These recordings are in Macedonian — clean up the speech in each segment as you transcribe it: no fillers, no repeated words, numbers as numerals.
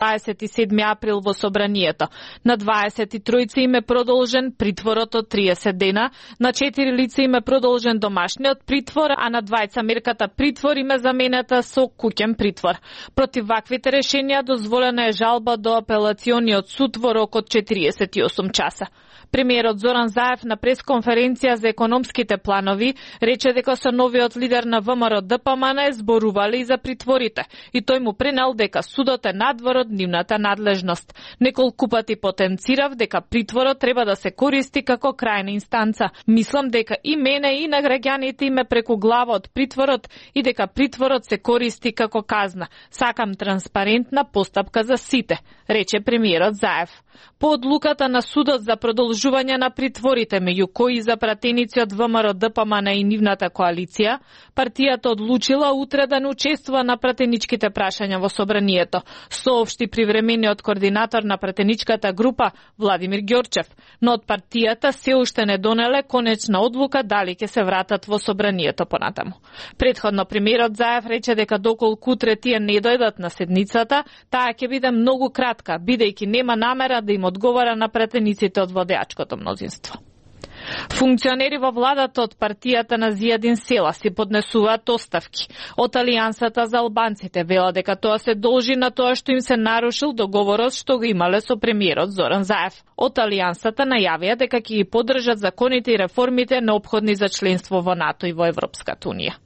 27 април во собранието. На 23 им е продолжен притворот од 30 дена, на 4 лица им е продолжен домашниот притвор, а на 2 мерката притвор им е заменета со куќен притвор. Против ваквите решенија дозволена е жалба до апелациониот суд во рок од 48 часа. Премиерот Зоран Заев на пресконференција за економските планови рече дека со новиот лидер на ВМРО ДПМН зборувале и за притворите и тој му пренел дека судот е надвор од нивната надлежност. Неколку пати потенцирав дека притворот треба да се користи како крајна инстанца. Мислам дека и мене и на граѓаните им е преку глава од притворот и дека притворот се користи како казна. Сакам транспарентна постапка за сите, рече премиерот Заев. По одлуката на судот за продолжување на притворите меѓу кои запратеници од ВМРО ДПМН и нивната коалиција, партијата одлучила утре да не учествува на пратеничките прашања во собранието, соопшти привремениот координатор на пратеничката група Владимир Ѓорчев, но од партијата се уште не донеле конечна одлука дали ќе се вратат во собранието понатаму. Претходно премиерот Заев рече дека доколку утре тие не дојдат на седницата, таа ќе биде многу кратка, бидејќи нема намера да им одговара на пратениците од владеачкото мнозинство. Функционери во владата од партијата на Зијадин Села си поднесуваат оставки. Од Алијансата за албанците вела дека тоа се должи на тоа што им се нарушил договорот што го имале со премиерот Зоран Заев. Од Алијансата најавија дека ќе ги поддржат законите и реформите неопходни за членство во НАТО и во Европската унија.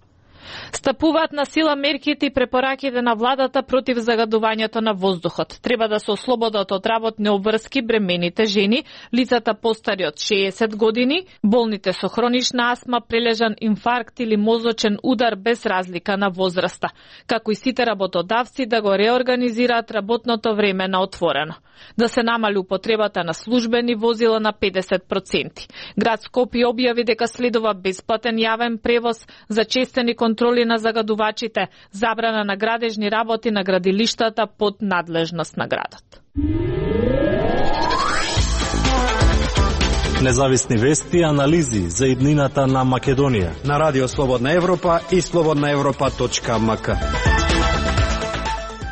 Стапуваат на сила мерките и препораките на владата против загадувањето на воздухот. Треба да се ослободат од работни обврски бремените жени, лицата постари од 60 години, болните со хронична астма, прележан инфаркт или мозочен удар без разлика на возраста, како и сите работодавци да го реорганизираат работното време на отворено. Да се намали употребата на службени возила на 50%. Град Скопје објави дека следува бесплатен јавен превоз, зачестени контроли на загадувачите, забрана на градежни работи на градилиштата под надлежност на градот. Независни вести и анализи за иднината на Македонија на Радио Слободна Европа и slobodnaevropa.mk.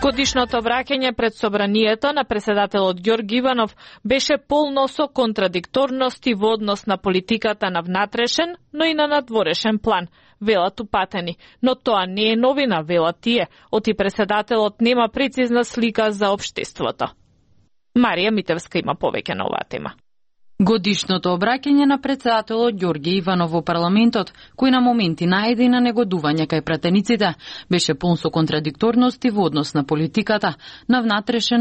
Годишното обраќање пред собранието на преседателот Ѓорги Иванов беше полно со контрадикторности во однос на политиката на внатрешен, но и на надворешен план, велат упатени. Но тоа не е новина, велат тие, оти преседателот нема прецизна слика за општеството. Марија Митевска има повеќе на оваа тема. Годишното обраќање на председателот Ѓорги Иванов во парламентот, кој на моменти најде на негодување кај пратениците, беше полн со контрадикторности во однос на политиката на внатрешен